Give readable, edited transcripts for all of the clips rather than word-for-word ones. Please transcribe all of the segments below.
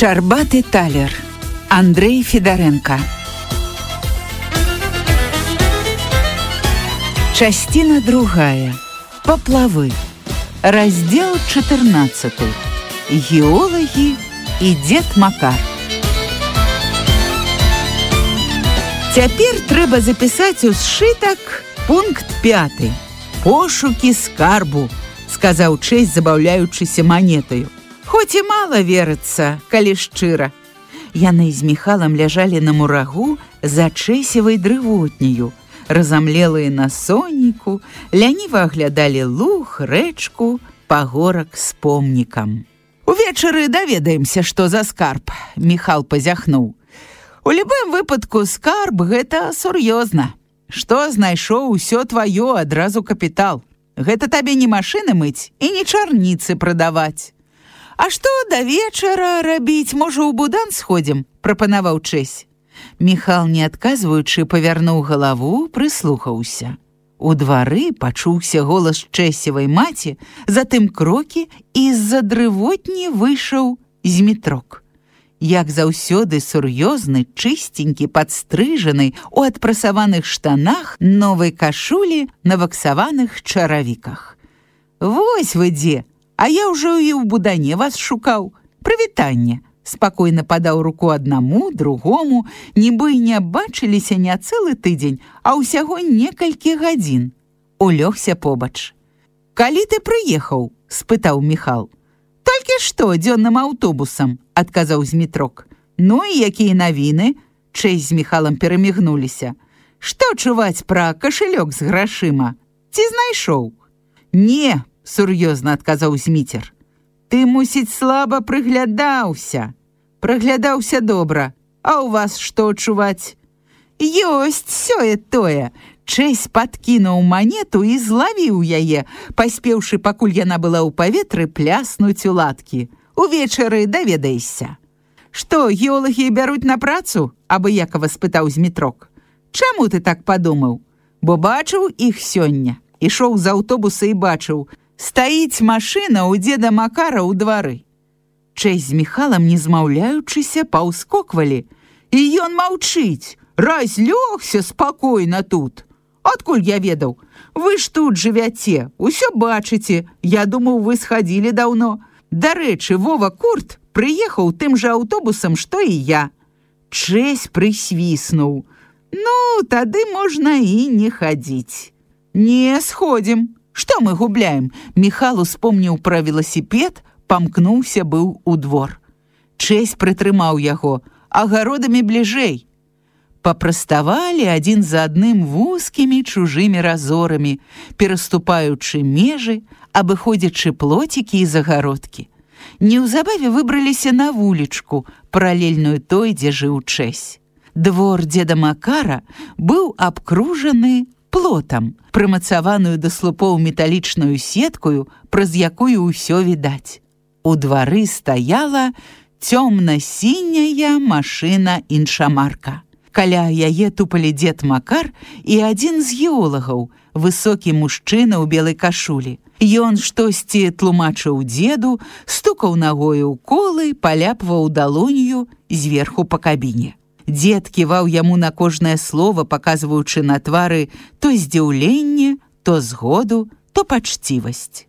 Шчарбаты талер. Андрей Федаренко. Частина другая. Поплавы. Раздел 14. Геологи и дед Макар. Цяпер трэба запісаць у сшытак пункт 5. Пошукі скарбу, сказаў Чэсь, забаўляючыся манетаю. Хоць і мала верыцца, калі шчыра. Яны з Міхалам ляжалі на мурагу за Чэсевай дрывотняю, разамлелыя на сонейку, ляніва аглядалі луг, рэчку, пагорак з помнікам. Увечары даведаемся, што за скарб, Міхал пазяхнуў. У любым выпадку скарб гэта сур'ёзна. Што знайшоў, усё тваё, адразу капітал. Гэта табе не машыны мыць і не чарніцы прадаваць. А што да вечара рабіць, можа, у будан сходзім, прапанаваў Чэсь. Міхал, не адказваючы, павярнуў галаву, прыслухаўся. У двары пачуўся голас Чэсевай маці, затым крокі, і з-за дрывотні выйшаў Змітрок. Як заўсёды сур'ёзны, чыстенькі, падстрыжаны, у адпрасаваных штанах, новай кашулі, на ваксаваных чаравіках. Вось вы дзе! А я ўжо і ў будане вас шукаў. Прывітанне. Спакойна падаў руку аднаму, другому, нібы і не бачыліся не цэлы тыдзень, а ўсяго некалькі гадзін. Улёгся побач. Калі ты прыехаў? Спытаў Міхал. Толькі што, дзённым аўтобусам, адказаў Змітрок. Ну і якія навіны? Чэсь з Міхалам перамігнуліся. Што чуваць пра кашалёк з грашыма? Ці знайшоў? Не, сур'ёзна адказаў Зміцер. Ты, мусіць, слаба прыглядаўся. Прыглядаўся добра. А ў вас што чуваць? Ёсць сёе-тое. Чэсь падкінуў манету і злавіў яе, паспеўшы, пакуль яна была ў паветры, пляснуць у ладкі. Увечары даведаешся. Што, геолагі бяруць на працу? Абыякава спытаў Змітрок. Чаму ты так падумаў? Бо бачыў іх сёння. Ішоў з аўтобуса і бачыў. Стаіць машына ў дзеда Макара ў двары. Чэсь з Міхалам, не змаўляючыся, паўскоквалі. І ён маўчыць. Разлёгся спакойна тут. Адкуль я ведаў? Вы ж тут жывяце, усё бачыце. Я думаў, вы схадзілі даўно. Дарэчы, Вова Курт прыехаў тым жа аўтобусам, што і я. Чэсь прысвіснуў. Ну, тады можна і не хадзіць. Не, сходзім. Што мы губляем? Міхал успомніў пра веласіпед, памкнуўся быў у двор. Чэсь прытрымаў яго. Агародамі бліжэй. Папраставалі адзін за адным вузкімі чужымі разорамі, пераступаючы межы, абыходзячы плоцікі і загародкі. Неўзабаве выбраліся на вулічку, паралельную той, дзе жыў Чэсь. Двор дзеда Макара быў абкружаны плотам, прымацаваную да слупоў металічную сеткаю, праз якую ўсё відаць. У двары стаяла цёмна-сіняя машына іншамарка. Каля яе тупалі дзед Макар і адзін з геолагаў, высокі мужчына ў белай кашулі. Ён штосьці тлумачыў дзеду, стукаў нагою ў колы, паляпваў далонью зверху па кабіне. Дзед ківаў яму на кожнае слово, паказваючы на твары то здзіўленне, то згоду, то пачцівасць.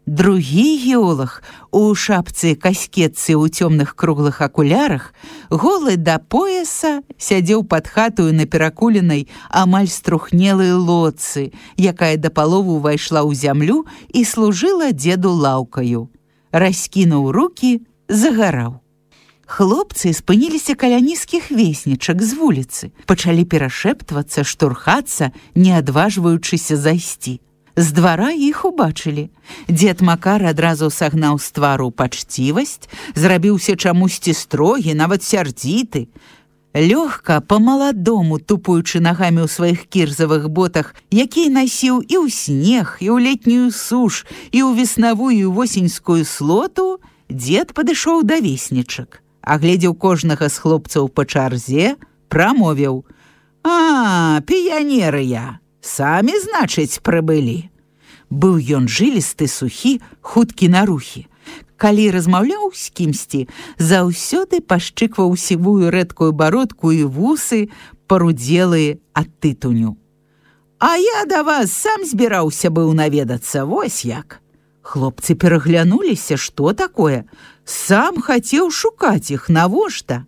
Другі геолаг у шапцы каскетцы ў цёмных круглых акулярах, голы да пояса, сядзеў пад хатою на перакуленай, амаль струхнелай лодцы, якая да палову ўвайшла ў зямлю і служыла дзеду лаўкаю. Раскінуў рукі, загараў. Хлопцы спыніліся каля нізкіх веснічак з вуліцы, пачалі перашэптвацца, штурхацца, не адважваючыся зайсці. З двара іх убачылі. Дзед Макар адразу сагнаў з твару пачцівасць, зрабіўся чамусьці строгі, нават сярдзіты. Лёгка, па-маладому, тупаючы нагамі ў сваіх кірзавых ботах, якія насіў і ў снег, і ў летнюю суш, і ў веснавую і восеньскую слоту, дзед падышоў да веснічак. Агледзеў кожнага з хлопцаў па чарзе, прамовіў. А, піянеры я, самі, значыць, прыбылі. Быў ён жылісты, сухі, хуткі на рухі. Калі размаўляў з кімсьці, заўсёды пашчыкваў сівую рэдкую бародку і вусы, парудзелыя ад тытуню. «А я да вас сам збіраўся быў наведацца, вось як». Хлопцы пераглянуліся, што такое. Сам хацеў шукаць іх, навошта?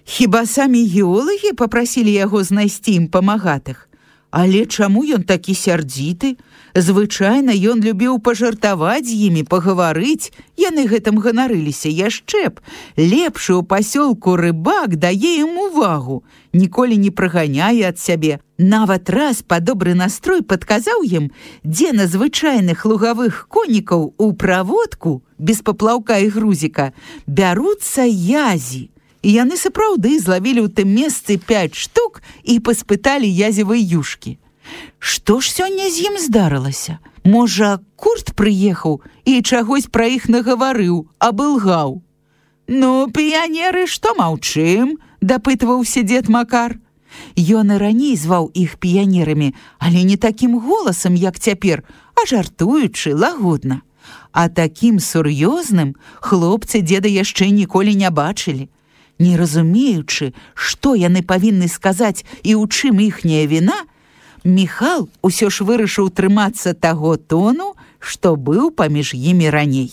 Хіба самі геолагі папрасілі яго знайсці ім памагатых? Але чаму ён такі сярдзіты? Звычайна ён любіў пажартаваць з імі, пагаварыць. Яны гэтым ганарыліся яшчэ б. Лепшы ў пасёлку рыбак дае ім увагу, ніколі не праганяе ад сябе. Нават раз па добры настрой падказаў ім, дзе на звычайных лугавых конікаў у праводку, без паплаўка і грузіка, бяруцца язі. І яны сапраўды злавілі ў тым месцы 5 штук і паспыталі язевай юшкі. Што ж сёння з ім здарылася? Можа, Курт прыехаў і чагось пра іх нагаварыў, абылгаў. «Ну, піянеры, што маўчым?» – дапытваўся дзед Макар. Ён і раней зваў іх піянерамі, але не такім голасам, як цяпер, а жартуючы, лагодна. А такім сур'ёзным хлопцы дзеда яшчэ ніколі не бачылі. Не разумеючы, што яны павінны сказаць і ў чым іхняя віна, Міхал усё ж вырашыў трымацца таго тону, што быў паміж імі раней.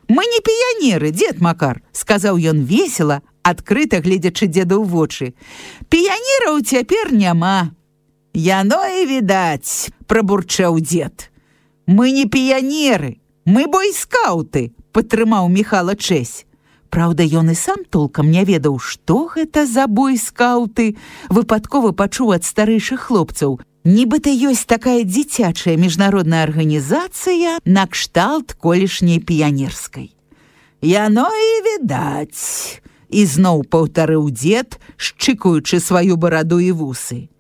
«Мы не піянеры, дзед Макар», – сказаў ён весела, адкрыта гледзячы дзеду ў вочы. «Піянераў цяпер няма». «Яно і відаць», – прабурчаў дзед. «Мы не піянеры, мы бойскаўты», – падтрымаў Міхала Чэсь. Праўда, ён і сам толкам не ведаў, што гэта за бойскаўты, выпадкова пачуў ад старэйшых хлопцаў. Нібыта ёсць такая дзіцячая міжнародная арганізацыя накшталт колішняй піянерскай. «Яно і відаць», – ізноў паўтарыў дзед, шчыкаючы сваю бараду і вусы.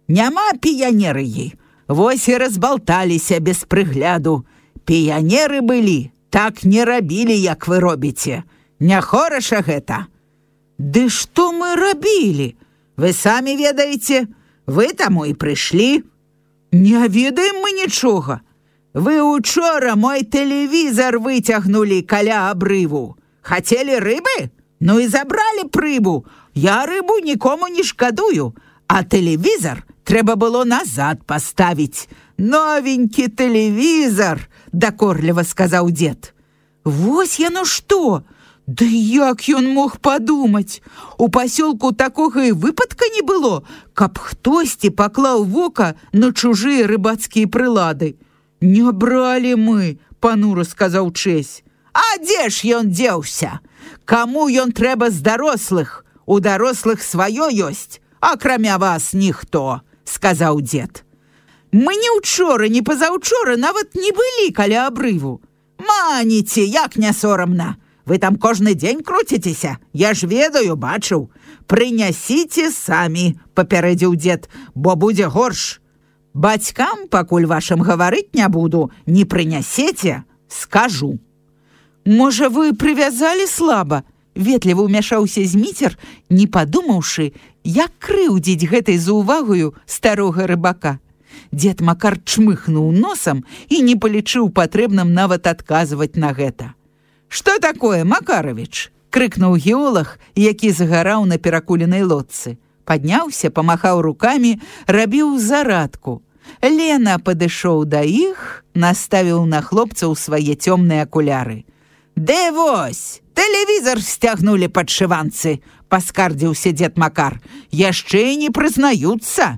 «Няма піянерыі, вось і разбалталіся без прыгляду. Піянеры былі, так не рабілі, як вы робіце. Не хораша гэта». «Ды што мы рабілі? Вы самі ведаеце, вы таму і прыйшлі». «Не ведаем мы нічога. Вы учора мой тэлевізар выцягнулі каля абрыву. Хацелі рыбы? Ну і забралі б рыбу. Я рыбу нікому не шкадую, а тэлевізар трэба было назад паставіць. Новенькі тэлевізар», – дакорліва сказаў дзед. «Вось яно што! Ды як ён мог падумаць? У пасёлку такога і выпадка не было, каб хтосьці паклаў вока на чужыя рыбацкія прылады». «Не бралі мы», – панура сказаў Чэсь. «А дзе ж ён дзеўся? Каму ён трэба з дарослых? У дарослых сваё ёсць, акрамя вас ніхто», – сказаў дзед. «Мы ні ўчора, ні пазаўчора нават не былі каля абрыву». «Маніце, як не сорамна! Вы там кожны дзень круціцеся, я ж ведаю, бачыў. Прынясіце самі», – папярэдзіў дзед, – «бо будзе горш. Бацькам, пакуль вашым гаварыць не буду, не прынясеце, скажу». «Можа, вы прывязалі слаба?» – ветліва ўмяшаўся Зміцер, не падумаўшы, як крыўдзіць гэтай заўвагаю старога рыбака. Дзед Макар чмыхнуў носам і не палічыў патрэбным нават адказваць на гэта. «Што такое, Макарович?» – крыкнуў геолаг, які загараў на перакуленай лодцы. Падняўся, памахаў рукамі, рабіў зарадку. Лена падышоў да іх, наставіў на хлопцаў свае цёмныя акуляры. «Ды вось, тэлевізар сцягнулі падшыванцы», – паскардзіўся дзед Макар. «Яшчэ і не прызнаюцца».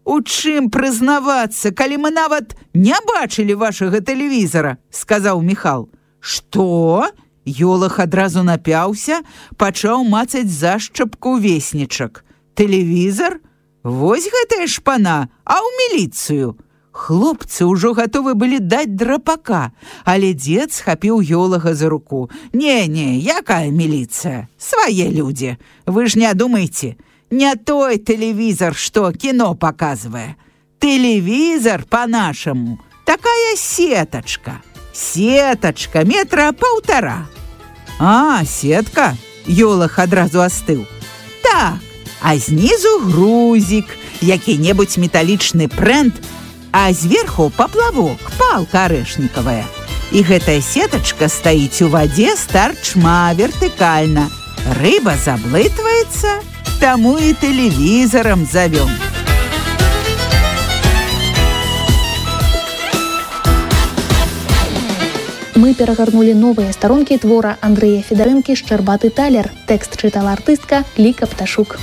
«У чым прызнавацца, калі мы нават не бачылі вашага тэлевізара?» – сказаў Міхал. «Што?» – геолаг адразу напяўся, пачаў мацаць зашчапку веснічак. «Тэлевізар? Вось гэтая шпана, а ў міліцыю». Хлопцы ўжо гатовы былі даць драпака, але дзед схапіў геолага за руку. «Не, якая міліцыя? Свае людзі. Вы ж не думайце. Не той тэлевізар, што кіно паказвае. Тэлевізар па-нашаму. Такая сетачка. Сетачка метра 1,5. «А, сетка?» – геолаг адразу астыў. «Так, а знізу грузік, які-небудзь металічны прэнт, а зверху паплавок, палка арэшнікавая. І гэтая сетачка стаіць у вадзе старчма вертыкальна. Рыба заблытваецца, таму і тэлевізарам завём. Мы перагарнулі новыя старонкі твора Андрэя Федарэнкі «Шчарбаты талер». Тэкст чытала артыстка Ліка Пташук.